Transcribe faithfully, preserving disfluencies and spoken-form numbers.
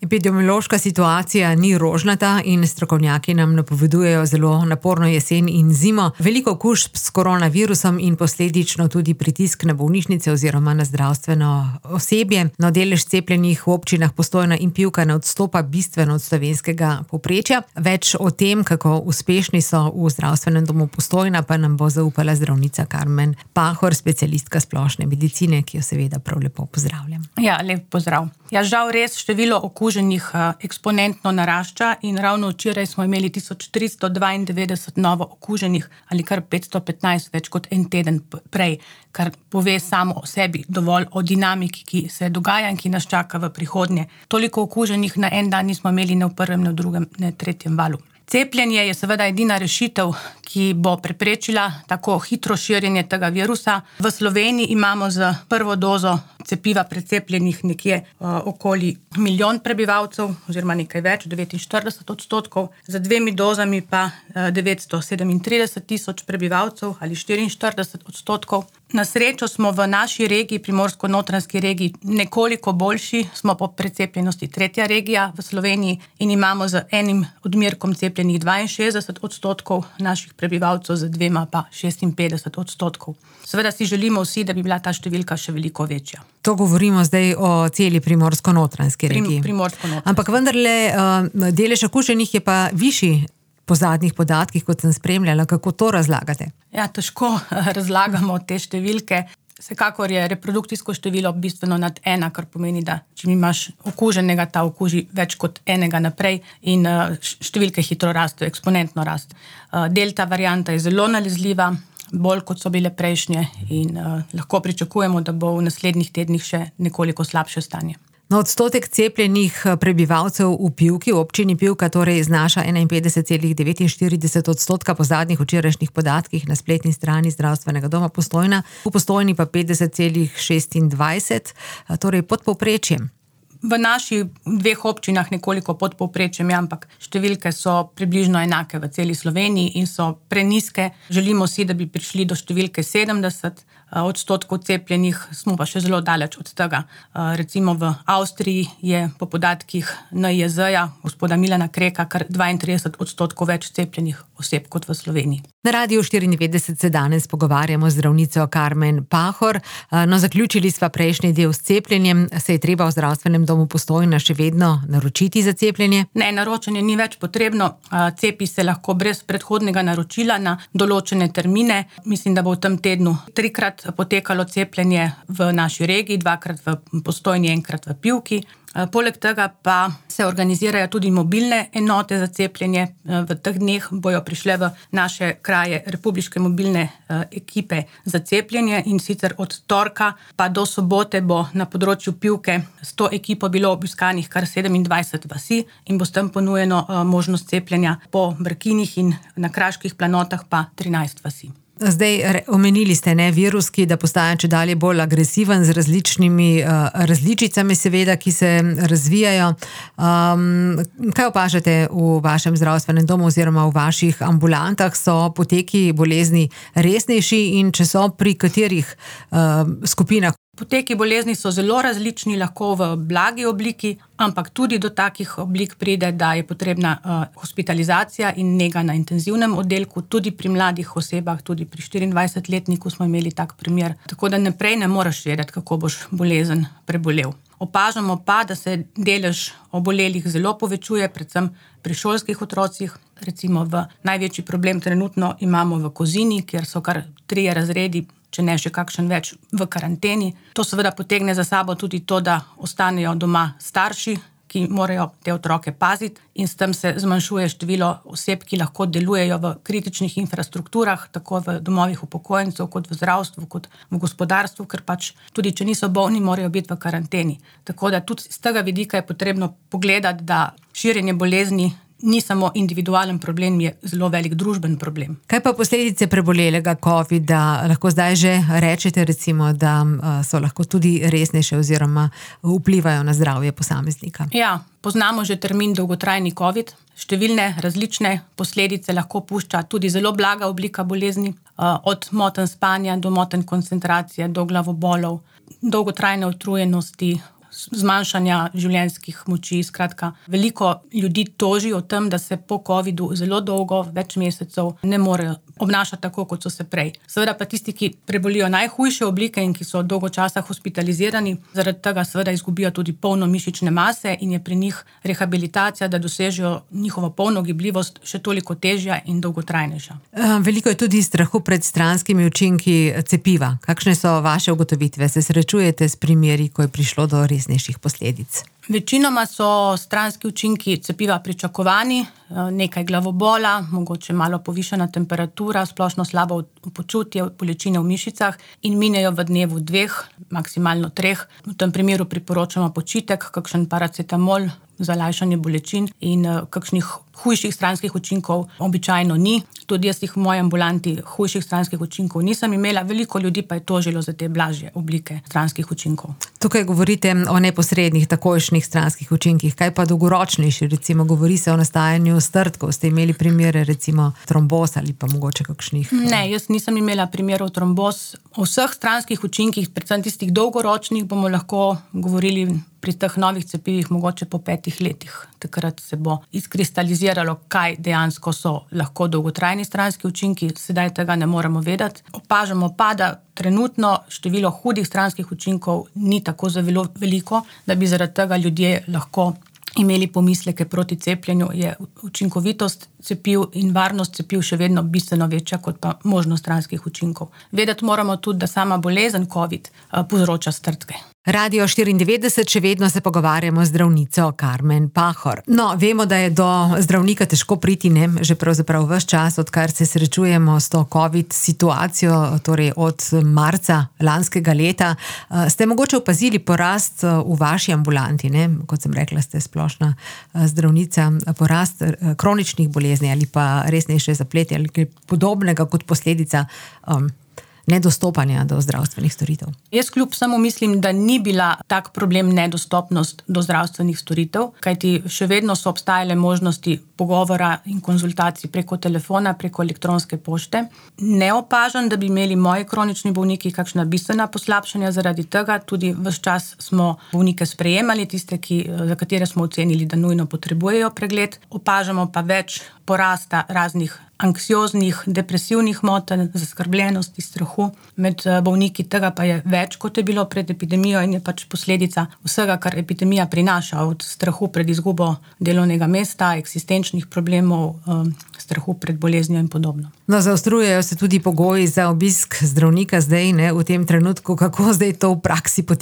Epidemiološka situacija ni rožnata in strokovnjaki nam napovedujejo zelo naporno jesen in zimo. Veliko okužb s koronavirusom in posledično tudi pritisk na bolnišnice oziroma na zdravstveno osebje. No, delež cepljenih v občinah Postojna in Pivka ne odstopa bistveno od slovenskega povprečja. Več o tem, kako uspešni so v zdravstvenem domu Postojna, pa nam bo zaupala zdravnica Karmen Pahor, specialistka splošne medicine, ki jo seveda prav lepo pozdravljam. Ja, lep pozdrav. Ja, žal res število okuženih eksponentno narašča in ravno včeraj smo imeli tisoč tristo dvaindevetdeset novo okuženih ali kar petsto petnajst več kot en teden prej, kar pove samo o sebi dovolj o dinamiki, ki se dogaja in ki nas čaka v prihodnje. Toliko okuženih na en dan nismo imeli ne v prvem, ne v drugem, ne v tretjem valu. Cepljenje je seveda edina rešitev, ki bo preprečila tako hitro širjenje tega virusa. V Sloveniji imamo z prvo dozo cepiva precepljenih nekje uh, okoli milijon prebivalcev, oziroma nekaj več, devetinštirideset odstotkov, z dvemi dozami pa uh, devetsto sedemintrideset tisoč prebivalcev ali štiriinštirideset odstotkov. Na srečo smo v naši regiji, Primorsko-notranjski regiji, nekoliko boljši, smo po precepljenosti tretja regija v Sloveniji in imamo z enim odmerkom cepljenih dvainšestdeset odstotkov naših prebivalcev, z dvema pa šestinpetdeset odstotkov. Seveda si želimo vsi, da bi bila ta številka še veliko večja. To govorimo zdaj o celi Primorsko-notranjski regiji. Prim, Primorsko-notranjski. Ampak vendarle delež okuženih je pa višji po zadnjih podatkih, kot sem spremljala. Kako to razlagate? Ja, težko razlagamo te številke. Vsekakor je reprodukcijsko število bistveno nad ena, kar pomeni, da če imaš okuženega, ta okuži več kot enega naprej in številke hitro rastejo, eksponentno rastejo. Delta varianta je zelo nalezljiva, bolj kot so bile prejšnje in uh, lahko pričakujemo, da bo v naslednjih tednih še nekoliko slabše stanje. No, odstotek cepljenih prebivalcev v Pivki, v občini Pivka, torej znaša enainpetdeset celih devetinštirideset odstotka po zadnjih včerajšnjih podatkih na spletni strani zdravstvenega doma Postojna, v Postojni pa petdeset celih šestindvajset, torej pod povprečjem. V naših dveh občinah nekoliko pod povprečjem, ampak številke so približno enake v celi Sloveniji in so prenizke. Želimo si, da bi prišli do številke sedemdeset odstotkov cepljenih, smo pa še zelo daleč od tega. Recimo v Avstriji je po podatkih N I Z ja, gospoda Milana Kreka, kar dvaintrideset odstotkov več cepljenih oseb kot v Sloveniji. Na Radiu štiriindevetdeset se danes pogovarjamo z zdravnico Karmen Pahor. No, zaključili sva prejšnji del s cepljenjem. Se je treba v zdravstvenem domu Postojna še vedno naročiti za cepljenje? Ne, naročanje ni več potrebno. Cepi se lahko brez predhodnega naročila na določene termine. Mislim, da bo v tem tednu trikrat potekalo cepljenje v naši regiji, dvakrat v Postojni, enkrat v Pivki. Poleg tega pa se organizirajo tudi mobilne enote za cepljenje. V teh dneh bojo prišle v naše kraje republiške mobilne ekipe za cepljenje in sicer od torka pa do sobote bo na področju Pivke s to ekipo bilo obiskanih kar sedemindvajset vasi in bo s tem ponujeno možnost cepljenja po Brkinih in na kraških planotah pa trinajst vasi. Zdaj, omenili ste, ne, virus, ki da postaja čedalje bolj agresiven z različnimi uh, različicami, seveda, ki se razvijajo. Um, kaj opažate v vašem zdravstvenem domu oziroma v vaših ambulantah? So poteki bolezni resnejši in če so, pri katerih uh, skupinah? Poteki bolezni so zelo različni, lahko v blagi obliki, ampak tudi do takih oblik pride, da je potrebna uh, hospitalizacija in nega na intenzivnem oddelku, tudi pri mladih osebah, tudi pri štiriindvajsetletniku smo imeli tak primer. Tako da naprej ne moreš vedeti, kako boš bolezen prebolel. Opažamo pa, da se delež obolelih zelo povečuje, predvsem pri šolskih otrocih. Recimo v največji problem trenutno imamo v Kozini, kjer so kar trije razredi, če ne še kakšen več, v karanteni. To seveda potegne za sabo tudi to, da ostanejo doma starši, ki morajo te otroke paziti in s tem se zmanjšuje število oseb, ki lahko delujejo v kritičnih infrastrukturah, tako v domovih upokojencev, kot v zdravstvu, kot v gospodarstvu, ker pač tudi, če niso bolni, morajo biti v karanteni. Tako da tudi z tega vidika je potrebno pogledati, da širjenje bolezni ni samo individualen problem, je zelo velik družben problem. Kaj pa posledice prebolelega covida? Lahko zdaj že rečete, recimo, da so lahko tudi resnejše oziroma vplivajo na zdravje posameznika? Ja, poznamo že termin dolgotrajni covid. Številne različne posledice lahko pušča tudi zelo blaga oblika bolezni, od motenj spanja do motenj koncentracije, do glavobolov, dolgotrajne utrujenosti, zmanjšanja življenjskih moči. Skratka, veliko ljudi toži o tem, da se po covidu zelo dolgo, več mesecev, ne morejo obnašati tako, kot so se prej. Seveda pa tisti, ki prebolijo najhujše oblike in ki so dolgo časa hospitalizirani, zaradi tega seveda izgubijo tudi polno mišične mase in je pri njih rehabilitacija, da dosežejo njihovo polno gibljivost, še toliko težja in dolgotrajnejša. Veliko je tudi strahu pred stranskimi učinki cepiva. Kakšne so vaše ugotovitve? Se srečujete s primeri, ko je prišlo do resnejših posledic? Večinoma so stranski učinki cepiva pričakovani, nekaj glavobola, mogoče malo povišana temperatura, splošno slabo počutje, bolečine v mišicah in minejo v dnevu dveh, maksimalno treh. V tem primeru priporočamo počitek, kakšen paracetamol za lajšanje bolečin in kakšnih hujših stranskih učinkov običajno ni. Tudi jaz jih v moji ambulanti hujših stranskih učinkov nisem imela, veliko ljudi pa je tožilo za te blažje oblike stranskih učinkov. Tukaj govorite o neposrednih, takojšnjih stranskih učinkih. Kaj pa dolgoročnejši? Recimo govori se o nastajanju strdkov. Ste imeli primere recimo tromboz ali pa mogoče kakšnih? Ne, jaz nisem imela primerov tromboz. O vseh stranskih učinkih, predvsem tistih dolgoročnih, bomo lahko govorili pri teh novih cepivih mogoče po petih letih. Takrat se bo izkristaliziralo, kaj dejansko so lahko dolgotrajni stranski učinki. Sedaj tega ne moremo vedeti. Opažamo pa, da trenutno število hudih stranskih učinkov ni tako zelo veliko, da bi zaradi tega ljudje lahko imeli pomisleke proti cepljenju. Je učinkovitost cepiv in varnost cepiv še vedno bistveno večja kot pa možnost stranskih učinkov. Vedeti moramo tudi, da sama bolezen COVID povzroča strdke. Radio štiriindevetdeset, še vedno se pogovarjamo z zdravnico Karmen Pahor. No, vemo, da je do zdravnika težko priti, ne, že pravzaprav ves čas, odkar se srečujemo s to COVID situacijo, torej od marca lanskega leta. Ste mogoče opazili porast v vaši ambulanti, ne? Kot sem rekla, ste splošna zdravnica, porast kroničnih bolezni ali pa resnejše zapletje ali kaj podobnega kot posledica um, nedostopanja do zdravstvenih storitev. Jaz kljub samo mislim, da ni bila tak problem nedostopnost do zdravstvenih storitev, kajti še vedno so obstajale možnosti pogovora in konzultacij preko telefona, preko elektronske pošte. Ne opažam, da bi imeli moji kronični bolniki kakšna bistvena poslabšanja zaradi tega. Tudi ves čas smo bolnike sprejemali, tiste, ki, za katere smo ocenili, da nujno potrebujejo pregled. Opažamo pa več porasta raznih anksioznih, depresivnih motenj, zaskrbljenosti, strahu. Med bolniki tega pa je več, kot je bilo pred epidemijo in je pač posledica vsega, kar epidemija prinaša, od strahu pred izgubo delovnega mesta, eksistenčnih problemov, strahu pred boleznijo in podobno. No, zaostrujejo se tudi pogoji za obisk zdravnika zdaj, ne, v tem trenutku, kako zdaj to v praksi poteka.